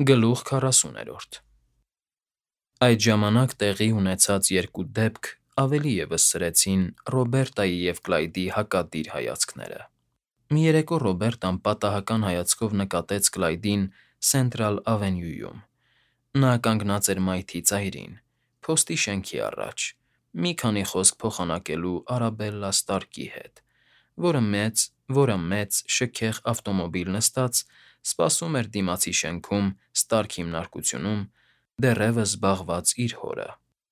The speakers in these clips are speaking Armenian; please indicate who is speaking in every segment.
Speaker 1: Գլուխ 40-րդ Այդ ժամանակ տեղի ունեցած երկու դեպք ավելի ևս սրեցին Ռոբերտայի և Կլայդի հակադիր հայացքները։ Մի երեկո Ռոբերտան պատահական հայացքով նկատեց Կլայդին Սենտրալ Ավենյուում։ Նա կանգնած էր մայթի ծայրին, փոստի շենքի առաջ, մի քանի խոսք փոխանակելու Արաբելլա Ստարկի հետ, որը մեծ, շքեղ ավտոմոբիլ նստած սպասում էր դիմացի շենքում Ստարք հիմնարկությունում, դեռևս զբաղված իր հորը։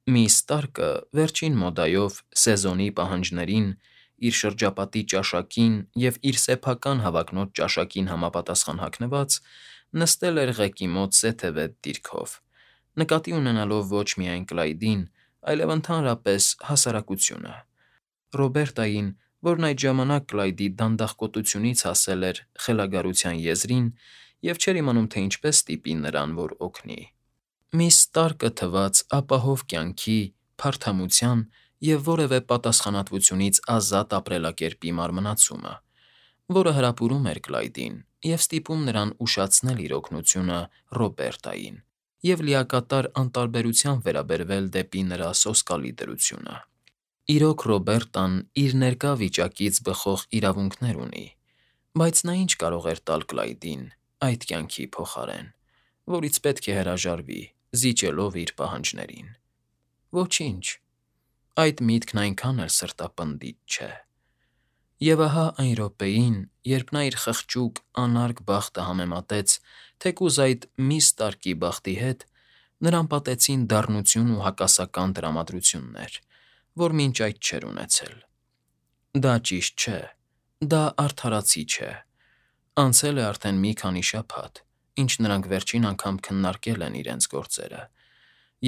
Speaker 1: Միս Ստարկը վերջին մոդայով սեզոնի պահանջներին, իր շրջապատի ճաշակին և իր սեփական հավակնոտ ճաշակին համապատասխան հագնված, նստել էր ղեկի մոտ սեթևետ դիրքով, նկատի ունենալով ոչ միայն Կլայդին, այլև ընդհանրապես հասարակությունը, Ռոբերտային, որն այդ ժամանակ Կլայդի դանդաղկոտությունից հասել էր խելագարության եզրին և չէր իմանում, թե ինչպես ստիպի նրան, որ օգնի։ Միս Ստարկը թվաց ապահով կյանքի, փարթամության և որևէ պատասխանատվությունից ազատ ապրելակերպի մարմնացումը, որը հրապուրում էր Կլայդին և ստիպում նրան ուշացնել իր օգնությունը Ռոբերտային և լիակատար անտարբերությամբ վերաբերվել դեպի նրա սոսկալի դրությունը։ Իրոք Ռոբերտան իր ներկա վիճակից բխող իրավունքներ ունի, բայց նա ինչ կարող էր տալ Կլայդին այդ կյանքի փոխարեն, որից պետք է հրաժարվի՝ զիջելով իր պահանջներին։ Ոչինչ։ Այդ միտքն այնքան էլ սրտապնդիչ չէ։ Եվ ահա այն րոպեին, երբ նա իր խղճուկ, անարգ բախտը համեմատեց թեկուզ այդ միս Ստարկի բախտի հետ, նրան պատեցին դառնություն ու հակասական տրամադրություններ, որ մինչ այդ չէր ունեցել։ Դա ճիշտ չէ, դա արդարացի չէ։ Անցել է արդեն մի քանի շաբաթ, ինչ նրանք վերջին անգամ քննարկել են իրենց գործերը,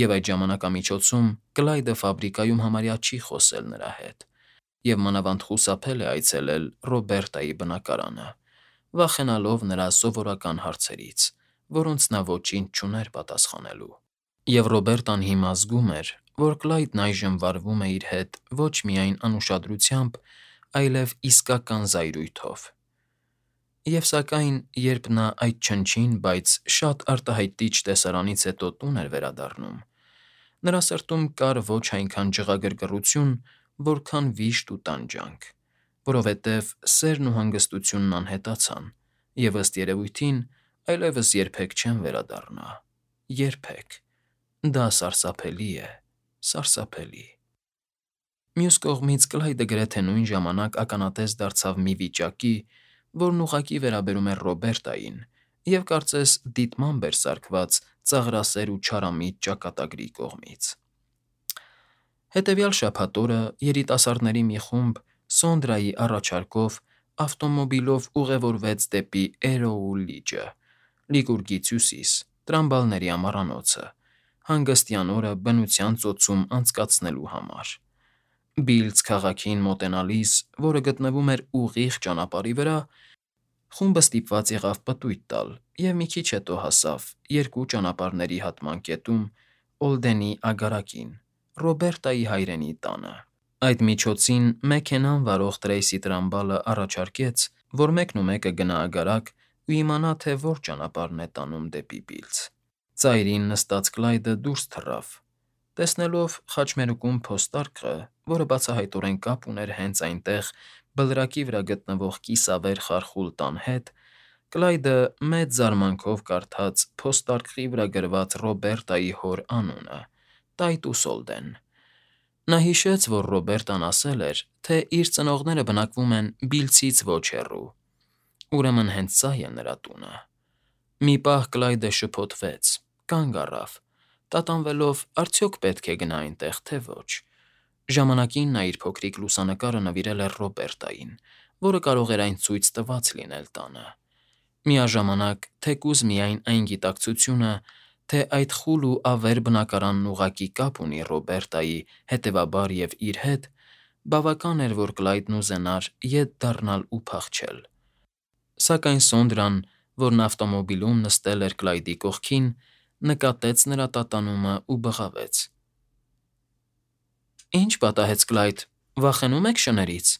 Speaker 1: և այդ ժամանակամիջոցում Կլայդը ֆաբրիկայում համարյա չի խոսել նրա հետ, և մանավանդ խուսափել է այցելել Ռոբերտայի բնակարանը, վախենալով նրա սովորական հարցերից, որոնց նա ոչինչ չուներ պատասխանելու։ Եվ Ռոբերտան հիմա զգում էր, որ Կլայդն այժմ վարվում է իր հետ ոչ միայն անուշադրությամբ, այլև իսկական զայրույթով։ Եվ սակայն, երբ նա այդ չնչին, բայց շատ արտահայտիչ տեսարանից հետո տուն էր վերադառնում, նրա սրտում կար ոչ այնքան ջղագրգռություն, որքան վիշտ ու տանջանք, որովհետև սերն ու հանգստությունն անհետացան, և ըստ երևույթին այլևս երբեք չեն վերադառնա։ Երբեք։ Դա սարսափելի է, սարսափելի։ Մյուս կողմից Կլայդը գրեթե նույն ժամանակ ականատես դարձավ մի վիճակի, որն ուղղակի վերաբերում էր Ռոբերտային և կարծես դիտմամբ էր սարքված ծաղրասեր ու չարամիտ ճակատագրի կողմից։ Հետևյալ շաբաթ օրը երիտասարդների մի խումբ Սոնդրայի առաջարկով ավտոմոբիլով ուղևորվեց դեպի Էրոու լիճը, Լիգուրգից հյուսիս, Տրամբալների ամառանոցը, հանգստյան օրը բնության ծոցում անցկացնելու համար։ Բիլծ քաղաքին մոտենալիս, որը գտնվում էր ուղիղ ճանապարհի վրա, խումբը ստիպված եղավ պտույտ տալ և մի քիչ հետո հասավ երկու ճանապարհների հատման կետում Օլդենի ագարակին՝ Ռոբերտայի հայրենի տանը։ Այդ միջոցին մեքենան վարող Տրեյսի Տրամբալը առաջարկեց, որ մեկնումեկը գնա ագարակ ու իմանա, թե որ ճանապարհն է տանում դեպի Բիլծ։ Ծայրին նստած Կլայդը դուրս թռավ։ Տեսնելով խաչմերուկում փոստարկղը, որը բացահայտորեն կապ ուներ հենց այնտեղ բլրակի վրա գտնվող կիսավեր խարխուլ տան հետ, Կլայդը մեծ զարմանքով կարդաց փոստարկղի վրա գրված Ռոբերտայի հոր անունը՝ Տայտուս Օլդեն։ Նա հիշեց, որ Ռոբերտան ասել էր, թե իր ծնողները բնակվում են Բիլձից ոչ հեռու։ Ուրեմն հենց սա է նրա տունը։ Մի պահ Կլայդը շփոթվեց, կանգ առավ, տատանվելով՝ արդյոք պետք է գնա այնտեղ, թե ոչ։ Ժամանակին նա իր փոքրիկ լուսանկարը նվիրել էր Ռոբերտային, որը կարող էր այն ցույց տված լինել տանը։ Միաժամանակ, թեկուզ միայն այն գիտակցությունը, թե այդ խուլ ու ավեր բնակարանն ուղղակի կապ ունի Ռոբերտայի, հետևաբար և իր հետ, բավական էր, որ Կլայդն ուզենար ետ դառնալ ու փախչել։ Սակայն Սոնդրան, որն ավտոմոբիլում նստել էր Կլայդի կողքին, նկատեց նրա տատանումը ու բղավեց. Ի՞նչ պատահեց, Կլայդ, վախենու՞մ եք շներից։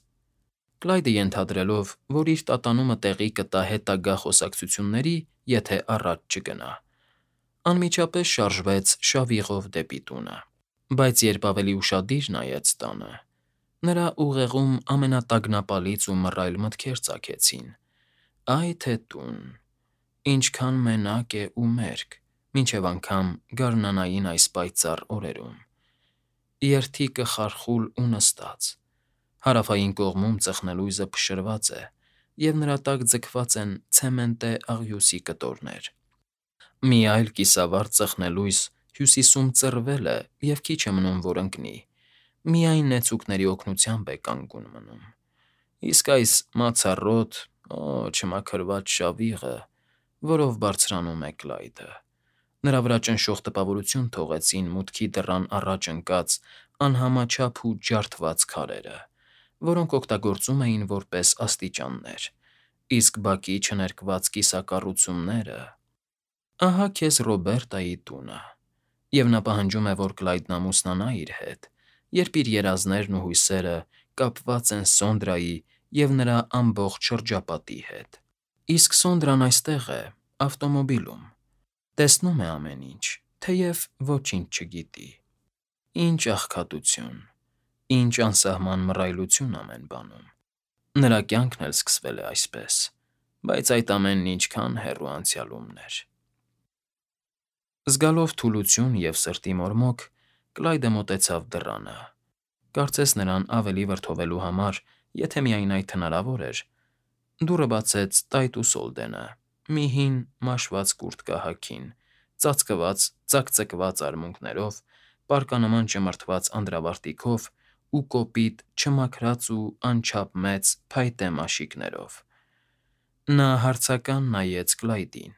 Speaker 1: Կլայդը ենթադրելով, որ իր տատանումը տեղի կտա հետագա խոսակցությունների, եթե առաջ չգնա, Անմիջապես շարժվեց շավիղով դեպի տունը, բայց երբ ավելի ուշադիր նայեց տանը, նրա ուղեղում ամենատագնապալից ու մռայլ մտքեր ծագեցին. «Այ թե տուն, ինչքան մենակ է ու մերկ, մինչև անգամ գարնանային այս պայծառ օրերում, երթիկը խարխուլ ու նստած, հարավային կողմում ծխնելույզը փշրված է, և նրա տակ ձգված են ցեմենտե աղյուսի կտորներ. մի այլ կիսավառ ծխնելույզ հյուսիսում ծռվել է և քիչ է մնում, որ ընկնի, միայն նեցուկների օգնությամբ է կանգուն մնում, իսկ այս մացառոտ, չմաքրված շավիղը, որով բարձրանում է Կլայդը»։ Նրա վրա ճնշող տպավորություն թողեցին մուտքի դռան առաջ ընկած անհամաչափ ու ջարդված քարերը, որոնք օգտագործում էին որպես աստիճաններ, իսկ բակի չներկված կիսակառուցումները… Ահա քեզ Ռոբերտայի տունը, և նա պահանջում է, որ Կլայդն ամուսնանա իր հետ, երբ իր երազներն ու հույսերը կապված են Սոնդրայի և նրա ամբողջ շրջապատի հետ։ Իսկ Սոնդրան այստեղ է, ավտոմոբիլում, տեսնում է ամեն ինչ, թեև ոչինչ չգիտի։ Ինչ աղքատություն, ինչ անսահման մռայլություն ամեն բանում։ Նրա կյանքն էլ սկսվել է այսպես, բայց այդ ամենն ինչքան հեռու անցյալումն էր։ Զգալով թուլություն և սրտի մորմոք՝ Կլայդը մոտեցավ դռանը։ Կարծես նրան ավելի վրդովելու համար, եթե միայն այդ հնարավոր էր, դուռը բացեց Տայտուս Սոլդենը, մի հին մաշված կուրտկա հագին, ծածկված ծակծկված արմունկներով, պառկանման ճմրթված անդրավարտիքով ու կոպիտ, չմաքրած ու անչափ մեծ փայտե մաշիկներով։ Նա հարցական նայեց Կլայդին,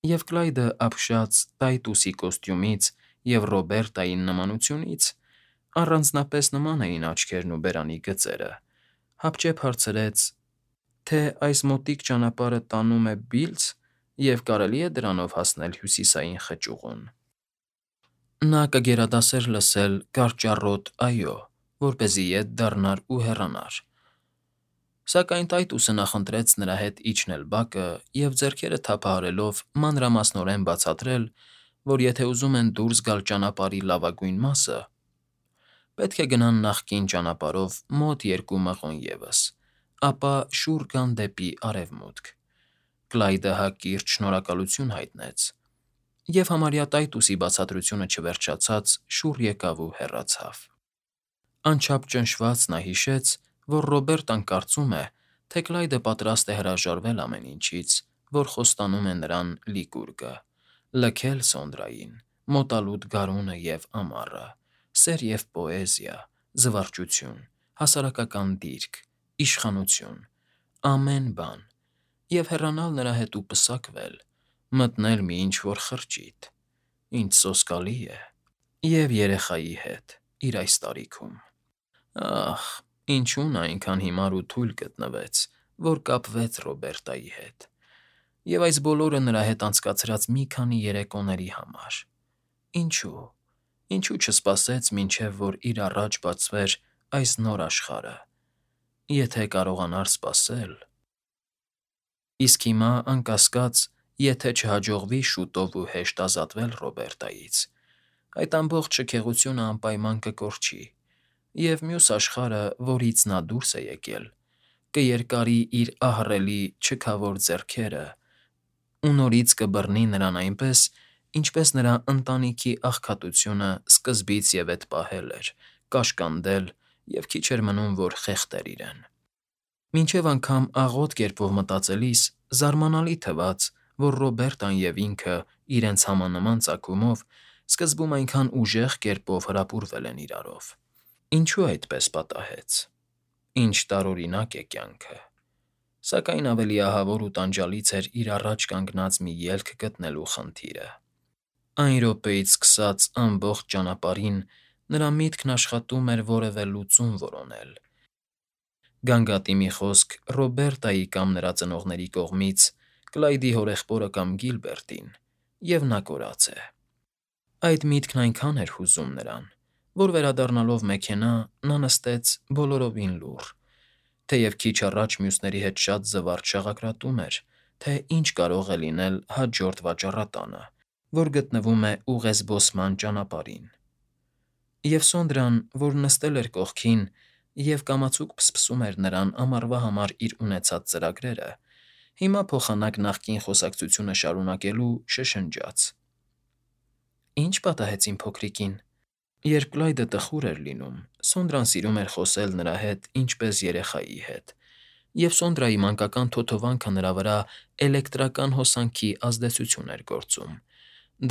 Speaker 1: և Կլայդը ապշած Տայտուսի կոստյումից և Ռոբերտային նմանությունից (առանձնապես նման էին աչքերն ու բերանի գծերը) հապճեպ հարցրեց, թե այս մոտիկ ճանապարհը տանում է Բիլձ և կարելի է դրանով հասնել Հյուսիսային խճուղուն։ Նա կգերադասեր լսել կարճառոտ «այո», որպեսզի ետ դառնար ու հեռանար, սակայն Տայտուսը նախընտրեց նրա հետ իջնել բակը և, ձեռքերը թափահարելով, մանրամասնորեն բացատրել, որ եթե ուզում են դուրս գալ ճանապարհի լավագույն մասը, պետք է գնան նախկին ճանապարհով մոտ 2 մղոն ևս, ապա շուռ գան դեպի արևմուտք։ Կլայդը հակիրճ շնորհակալություն հայտնեց, և համարյա Տայտուսի բացատրությունը չվերջացած շուռ եկավ ու հեռացավ։ Անչափ ճնշված նա հիշեց, որ Ռոբերտան կարծում է, թե Կլայդը պատրաստ է հրաժարվել ամեն ինչից, որ խոստանում է նրան Լիկուրգը, լքել Սոնդրային, մոտալուտ գարունը և ամառը, սեր և պոեզիա, զվարճություն, հասարակական դիրք, իշխանություն, ամեն բան, և հեռանալ նրա հետ ու պսակվել, մտնել մի ինչ֊որ խրճիթ, ինչ սոսկալի է, և երեխայի հետ իր այս տարիքում։ Ահ, ինչու նա այնքան հիմար ու թույլ գտնվեց, որ կապվեց Ռոբերտայի հետ, և այս բոլորը նրա հետ անցկացրած մի քանի երեկոների համար… Ինչու չսպասեց, մինչև որ իր առաջ բացվեր այս նոր աշխարհը, եթե կարողանար սպասել… Իսկ հիմա, անկասկած, եթե չհաջողվի շուտով ու հեշտ ազատվել Ռոբերտայից, այդ ամբողջ շքեղությունը անպայման կկորչի, և մյուս աշխարհը, որից նա դուրս է եկել, կերկարի իր ահռելի չքավոր ձեռքերը ու նորից կբռնի նրան այնպես, ինչպես նրա ընտանիքի աղքատությունը սկզբից և էդ պահել էր, կաշկանդել և քիչ էր մնում, որ խեղդեր իրեն։ Մինչև անգամ աղոտ կերպով մտածելիս զարմանալի թվաց, որ Ռոբերտան և ինքը իրենց համանման ծագումով սկզբում այնքան ուժեղ կերպով հրապուրվել են իրարով։ Ինչու այդպես պատահեց։ Ինչ տարօրինակ է կյանքը։ Սակայն ավելի ահավոր ու տանջալից էր իր առաջ կանգնած մի ելք գտնելու խնդիրը։ Այն րոպեից սկսած ամբողջ ճանապարհին նրա միտքն աշխատում էր որևէ լուծում որոնել, գանգատի մի խոսք Ռոբերտայի կամ նրա ծնողների կողմից, Կլայդի հորեղբորը կամ Գիլբերտին, և նա կորած է։ Այդ միտքն այնքան էր հուզում նրան, որ վերադառնալով մեքենա, նա նստեց բոլորովին լուռ, թեև քիչ առաջ մյուսների հետ շատ զվարճ շաղակրատում էր, թե ինչ կարող է լինել հաջորդ վաճառատանը, որ գտնվում է ուղեզբոսման ճանապարհին։ Եվ Սոնդրան, որ նստել էր կողքին և կամացուկ փսփսում էր նրան ամառվա համար իր ունեցած ծրագրերը, հիմա փոխանակ նախկին խոսակցությունը շարունակելու շշնջաց. «Ի՞նչ պատահեց իմ փոքրիկին»։ Երբ Կլայդը տխուր էր լինում, Սոնդրան սիրում էր խոսել նրա հետ ինչպես երեխայի հետ, և Սոնդրայի մանկական թոթովանքը նրա վրա էլեկտրական հոսանքի ազդեցություն էր գործում.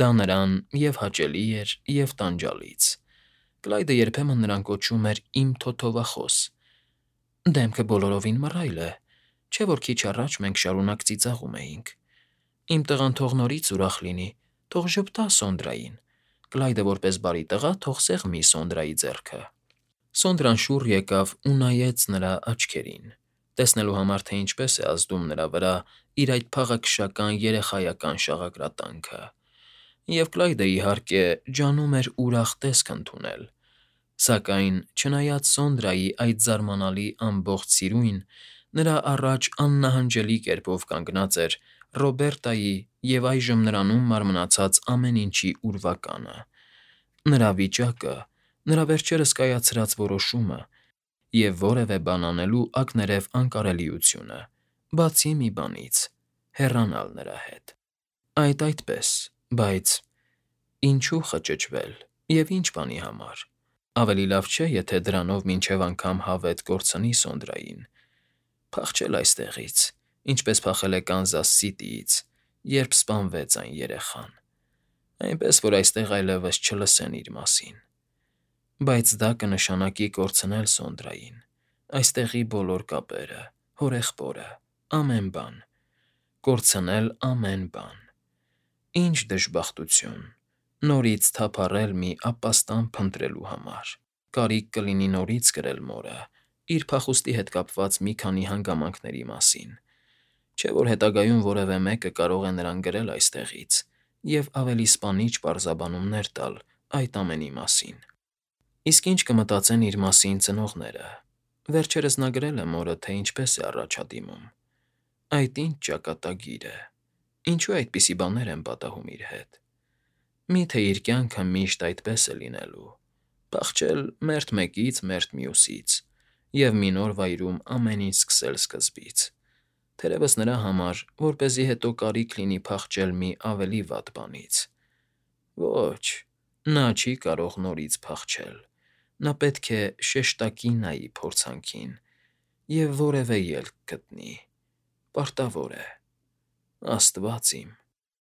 Speaker 1: դա նրան և՛ հաճելի էր, և՛ տանջալից։ Կլայդը երբեմն նրան կոչում էր «իմ թոթովախոս»։ Դեմքը բոլորովին մռայլ է, չէ՞ որ քիչ առաջ մենք շարունակ ծիծաղում էինք։ Իմ տղան թող նորից ուրախ լինի, թող ժպտա Սոնդրային։ Կլայդը որպես բարի տղա թող սեղմի Սոնդրայի ձեռքը։ Սոնդրան շուռ եկավ ու նայեց նրա աչքերին, տեսնելու համար, թե ինչպես է ազդում նրա վրա իր այդ փաղաքշական երեխայական շաղակրատանքը։ Եվ Կլայդը, իհարկե, ջանում էր ուրախ տեսք ընդունել։ Սակայն, չնայած Սոնդրայի այդ զարմանալի ամբողջ սիրույն, նրա առաջ աննահանջելի կերպով կանգնած էր Ռոբերտայի և այժմ նրանում մարմնացած ամեն ինչի ուրվականը՝ նրա վիճակը, նրա վերջերս կայացրած որոշումը և որևէ բան անելու ակներև անկարելիությունը, բացի մի բանից՝ հեռանալ նրա հետ։ Այդպես, բայց ինչո՞ւ խճճվել և ի՞նչ բանի համար։ Ավելի լավ չէ, եթե դրանով մինչև անգամ հավետ կորցնի Սոնդրային։ Փախչել այստեղից, ինչպես փախել է Կանզաս Սիթիից, երբ սպանվեց այն երեխան, այնպես որ այստեղ այլևս չլսեն իր մասին։ Բայց դա կնշանակի կորցնել Սոնդրային, այստեղի բոլոր կապերը, հորեղբորը, ամեն բան։ Կորցնել ամեն բան։ Ինչ դժբախտություն, նորից թափառել մի ապաստան փնտրելու համար։ Կարիք կլինի նորից կրել մորը՝ իր փախուստի հետ կապված մի քանի հանգամանքների մասին, չէ՞ որ հետագայում որևէ մեկը կարող է նրան գրել այստեղից և ավելի սպանիչ պարզաբանումներ տալ այդ ամենի մասին։ Իսկ ինչ կմտածեն իր մասին ծնողները։ Վերջերս նա գրել է մորը, թե ինչպես է առաջադիմում։ Այդ ինչ ճակատագիր է։ Ինչու այդպիսի բաներ են պատահում իր հետ։ Մի՞թե իր կյանքը միշտ այդպես է լինելու՝ փախչել մերթ մեկից, մերթ մյուսից և մի նոր վայրում ամեն ինչ սկսել սկզբից, թերևս նրա համար, որպեսզի հետո կարիք լինի փախչել մի ավելի վատ բանից։ Ոչ, նա չի կարող նորից փախչել։ Նա պետք է շեշտակի նայի փորձանքին և որևէ ելք գտնի։ Պարտավոր է։ Աստվա՜ծ իմ։